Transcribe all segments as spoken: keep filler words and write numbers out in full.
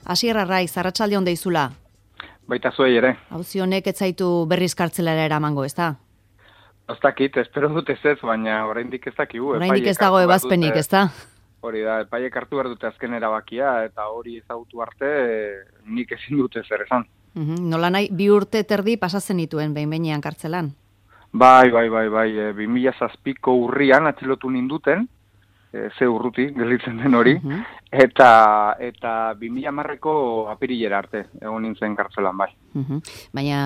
Asier Arraiz, arratsalde on deizula. Baita zuei ere. Auzi honek ez zaitu berriz kartzelara eramango, ezta? Ez dakit, espero dut ez ez, baina oraindik ez dakigu. Oraindik ez dago ebazpenik, ezta? Hori da, epaiek hartu behar dute azken erabakia, eta hori ezagutu arte nik ezin dute zer esan. Uhum, nola nahi, bi urte terdi pasatzen dituen behin-behinean kartzelan? Bai, bai, bai, bai, e, bi mila zazpiko urrian atxilotu ninduten, e, ze urruti, gelditzen den hori, uhum. eta eta bi mila hamarreko apirilera arte, egon nintzen kartzelan, bai. Uhum. Baina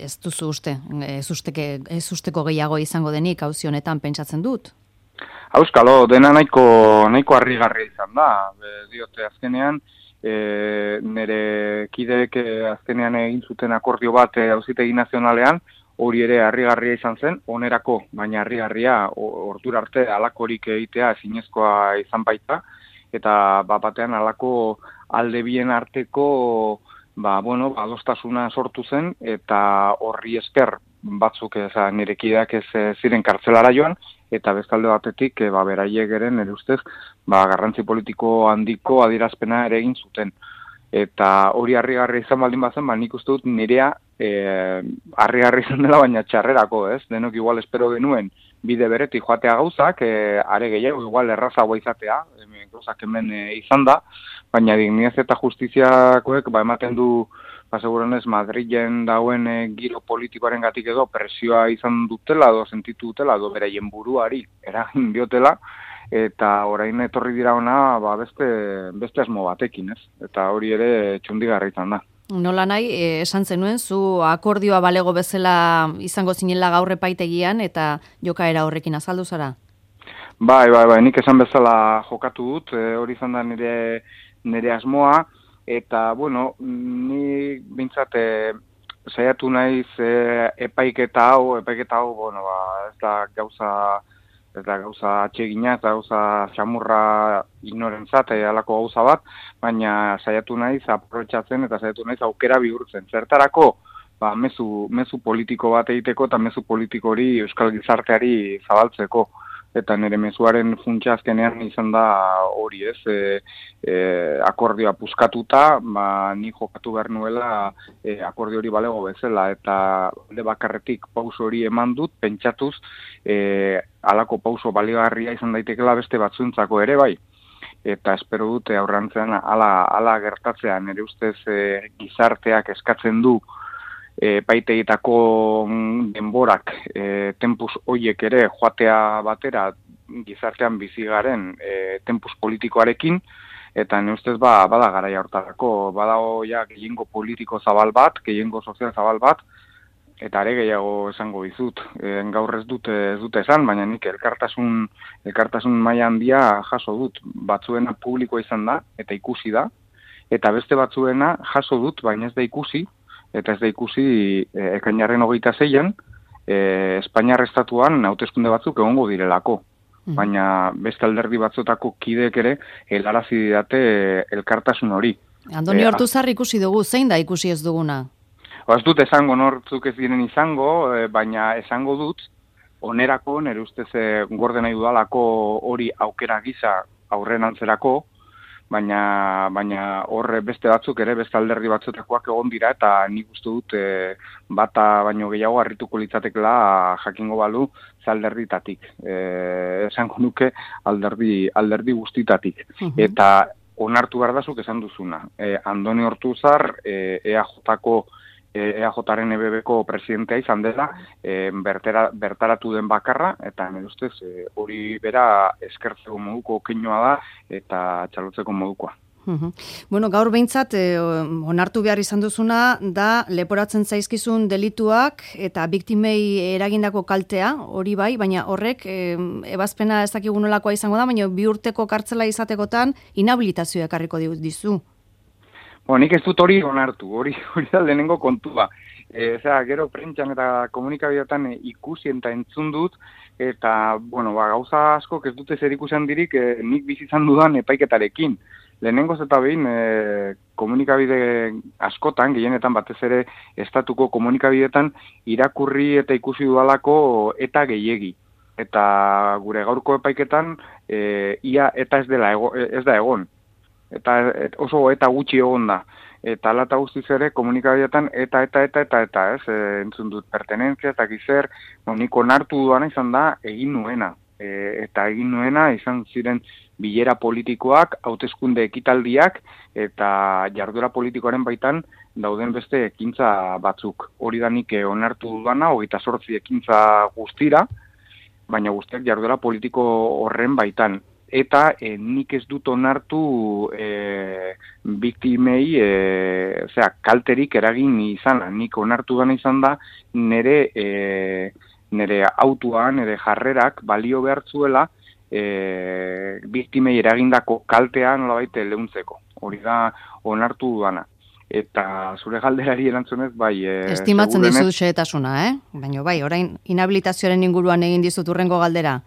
ez duzu uste, ez, usteke, ez usteko gehiago izango denik auzi honetan pentsatzen dut? Auskalo, dena nahiko, nahiko harrigarria izan da, e, diote azkenean, e, nire kideek azkenean egin zuten akordio bat auzitegi nazionalean, hori ere harrigarria izan zen, onerako, baina harrigarria ordura arte alakorik egitea ezinezkoa izan baita, eta ba, batean alako alde bien arteko ba, bueno, adostasuna sortu zen, eta horri esker batzuk eza, nire kideak ez ziren kartzelara joan, eta bestalde batetik e, ba, beraiek ere nire ustez ba, garrantzi politiko handiko adierazpena ere egin zuten. Eta hori harrigarria izan baldin bazen, ba, nik uste dut nirea e, harrigarria izan dela, baina txarrerako, ez? Denok igual espero genuen bide beretik joatea gauzak, e, are gehiago igual errazagoa izatea, e, gauzak hemen e, izan da, baina dignidad eta justiziakoek ba, ematen du, ba, segurenez, Madrilen dauen e, giro politikoaren gatik edo presioa izan dutela, edo sentitu dutela, edo beraien buruari eragin diotela, eta orain etorri dira ona ba, beste, beste asmo batekin, ez? Eta hori ere txundigarra izan da. Nola nahi, eh, esan zenuen, zu akordioa balego bezala izango zinela gaur epaitegian eta jokaera horrekin azaldu zara? Bai, bai, bai, nik esan bezala jokatu dut, e, hori izan da nire, nire asmoa, eta, bueno, ni bintzat e, saiatu naiz e, epaiketa hau, epaiketa hau, bueno, ba, ez da gauza... ez da gauza atsegina, ez da gauza xamurra ignorentzat, halako gauza bat, baina saiatu naiz aprobetxatzen eta saiatu naiz aukera bihurtzen. Zertarako, ba, mezu, mezu politiko bat egiteko eta mezu politiko hori euskal gizarteari zabaltzeko. Eta nire mezuaren funtsa azkenean izan da hori ez, e, e, akordioa puskatuta, ba, ni jokatu behar nuela e, akordio hori balego bezala, eta alde bakarretik pauso hori eman dut, pentsatuz, e, halako pauso baligarria izan daitekela beste batzuentzako ere bai. Eta espero dute aurrantzean ala, ala gertatzea, nire ustez e, gizarteak eskatzen du, E, paiteitako denborak, e, tempus hoiek ere joatea batera gizartean bizigaren e, tempus politikoarekin, eta ne ustez ba, bada garaia hortarako, badago ja gehiengo politiko zabal bat, gehiengo sozial zabal bat, eta ere gehiago esango dizut. E, gaur ez dute ez dute esan, baina nik elkartasun, elkartasun maila handia jaso dut, batzuena publikoa izan da, eta ikusi da, eta beste batzuena jaso dut, baina ez da ikusi, eta ez da ikusi e, ekainaren hogeita zeian, e, Espainiar estatuan hauteskunde batzuk egongo direlako. Mm. Baina beste alderdi batzutako kideek ere helarazi didate e, elkartasun hori. Andoni e, Ortuzar ikusi dugu, zein da ikusi ez duguna? Ez dut esango nortzuk ez diren izango, e, baina esango dut, onerako, nire ustez e, gorde nahi dudalako hori aukera gisa aurren antzerako, baina baina horre beste batzuk ere, beste alderdi batzutakoak egon dira, eta nik uste dut e, bata baino gehiago harrituko litzatekela jakingo balu ze alderditatik. E, esango nuke alderdi, alderdi guztitatik. Uh-huh. Eta onartu behar dazuk esan duzuna. E, Andoni Ortuzar, e, E A Jko E A Jaren E B Bko presidentea izan dela, e, bertera, bertaratu den bakarra, eta nire ustez e, hori bera eskertzeko moduko keinoa da, eta txalotzeko modukoa. Uhum. Bueno, gaur behintzat, eh, onartu behar izan duzuna, da leporatzen zaizkizun delituak eta biktimei eragindako kaltea, hori bai, baina horrek eh, ebazpena ez dakigu nolakoa izango da, baina bi urteko kartzela izatekotan inhabilitazioa ekarriko dizu. Bo, nik ez dut hori onartu, hori hori da lehenengo kontua. E, zera, gero prentxan eta komunikabideetan e, ikusi eta entzun dut, eta, bueno, ba, gauza asko ez dute zer ikusen dirik e, nik bizizan dudan epaiketarekin. Lehenengoz eta behin e, komunikabide askotan, gehienetan batez ere estatuko komunikabideetan irakurri eta ikusi dudalako eta gehiegi. Eta gure gaurko epaiketan e, ia eta ez, dela ego, ez da egon. eta et, oso eta gutxi egon da. Eta alata guztiz ere komunikabideetan eta, eta, eta, eta, eta, ez, e, entzun dut pertenentzia eta gizer, no, nik onartu duana izan da egin nuena. E, eta egin nuena izan ziren bilera politikoak, hauteskunde ekitaldiak eta jarduera politikoaren baitan dauden beste ekintza batzuk. Hori da nik onartu duana, hogeita zortzi ekintza guztira, baina guztiak jarduera politiko horren baitan. Eta e, nik ez dut onartu e, biktimei e, osea, kalterik eragin izana. Nik onartu dana izan da nire, e, nire autua, nire jarrerak balio behar zuela e, biktimei eragindako kaltea nolabait leuntzeko. Hori da onartu dana. Eta zure galderari erantzunez, bai... E, Estimatzen dizut xehetasuna, eh? Baina bai, orain inhabilitazioaren inguruan egin dizut urrengo galdera.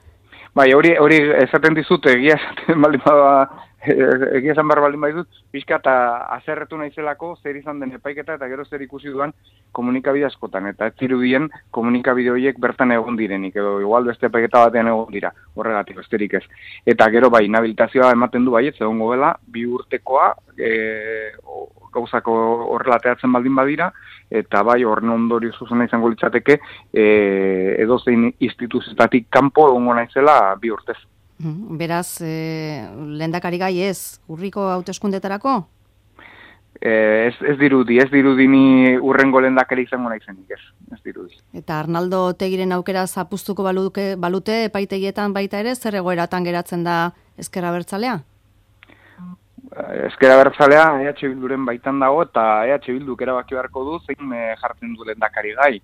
Bai, hori hori esaten dizut, egia esaten baldin bada, egia esan behar baldin badizut, pixka eta azerretu naizelako zer izan den epaiketa eta gero zer ikusi duan komunikabide askotan. Eta ez zirudien komunikabide horiek bertan egon direnik, edo igual beste epaiketa batean egon dira, horregatik, besterik ez. Eta gero bai, inhabilitazioa ematen du bai, ez egongo dela, bi urtekoa, e, gauzako horrelateatzen baldin badira, eta bai, horren ondorio zuzena izango litzateke, e, edozein instituzioetatik kanpo egongo naizela bi urtez. Beraz, e, lehendakari gai ez, urriko hauteskundetarako? E, ez, ez dirudi, ez dirudi ni urrengo lehendakari izango naizenik, ez, ez dirudi. Eta Arnaldo Otegiren aukera zapustuko baluke, balute epaitegietan baita ere, zer egoeratan geratzen da Ezker Abertzalea? Ezker Abertzalea E H Bilduren baitan dago eta E H Bilduk erabaki beharko du zein e, jartzen du lehendakari gai.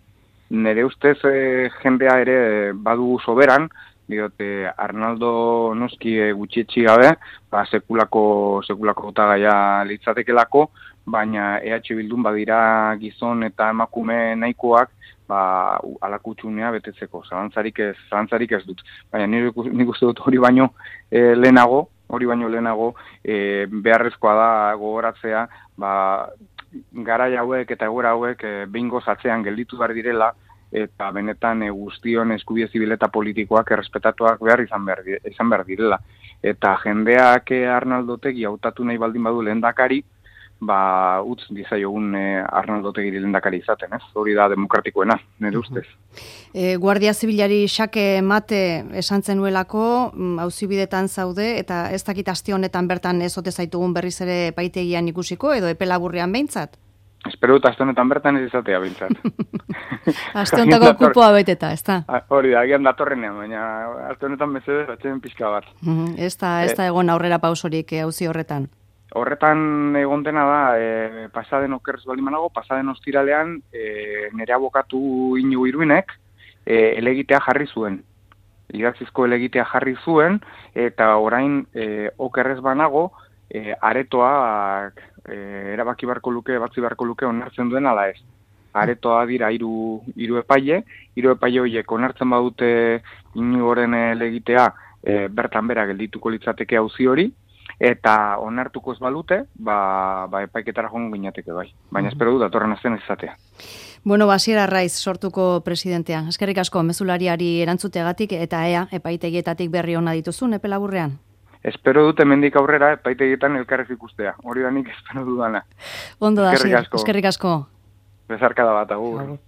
Nere ustez e, jendea ere badu soberan, diote Arnaldo noski e, gutxietxi gabe, ba, sekulako, sekulako hautagaia litzatekelako, baina E H Bildun badira gizon eta emakume nahikoak ba, alakutxunea betetzeko, zalantzarik ez, zalantzarik ez dut. Baina nik, nik uste dut hori baino e, lehenago, hori baino lehenago e, beharrezkoa da gogoratzea, ba, garai hauek eta egoera hauek e, behingoz atzean gelditu behar direla, eta benetan e, guztion eskubide zibil eta politikoak errespetatuak behar izan behar, izan behar direla. Eta jendeak e, Arnaldo Otegi hautatu nahi baldin badu lehendakari, ba, utz dizaiogun e, Arnaldo Otegiri lehendakari izaten, ez? Hori da demokratikoena, nire ustez. E, Guardia Zibilari xake mate esan zenuelako, auzibidetan zaude, eta ez dakit aste honetan bertan ez ote zaitugun berriz ere epaitegian ikusiko, edo epe laburrean behintzat? Espero dut aste honetan bertan ez izatea behintzat. Aste honetako kupoa beteta, ez da? Hori da, agian datorrenean, baina aste honetan mesedez atxeden pixka bat. Ez da, ez da egon aurrera pausorik auzi horretan. Horretan egon dena da, e, pasaden okerrez baldin manago, pasaden ostiralean e, nire abokatu Inigo Iruinek e, elegitea jarri zuen. Idatzizko elegitea jarri zuen, eta orain e, okerrez banago, e, aretoak e, erabaki beharko luke, batzi beharko luke onartzen duen ala ez. Aretoa dira hiru hiru epaile, hiru epaile horiek onartzen badute Inigoren elegitea e, bertan bera geldituko litzateke auzi hori, eta onartuko ez balute, ba, ba epaiketara joango ginateke bai. Baina espero dut datorren astean izatea. Bueno, Basier Arraiz sortuko presidentea. Eskerrik asko mezulariari erantzuteagatik eta ea epaitegietatik berri ona dituzun epe laburrean. Espero dut hemendik aurrera epaitegietan elkarrez ikustea. Hori da nik espero dudana. Ondo da, eskerrik asko. Besarkada bat, agur. Agur.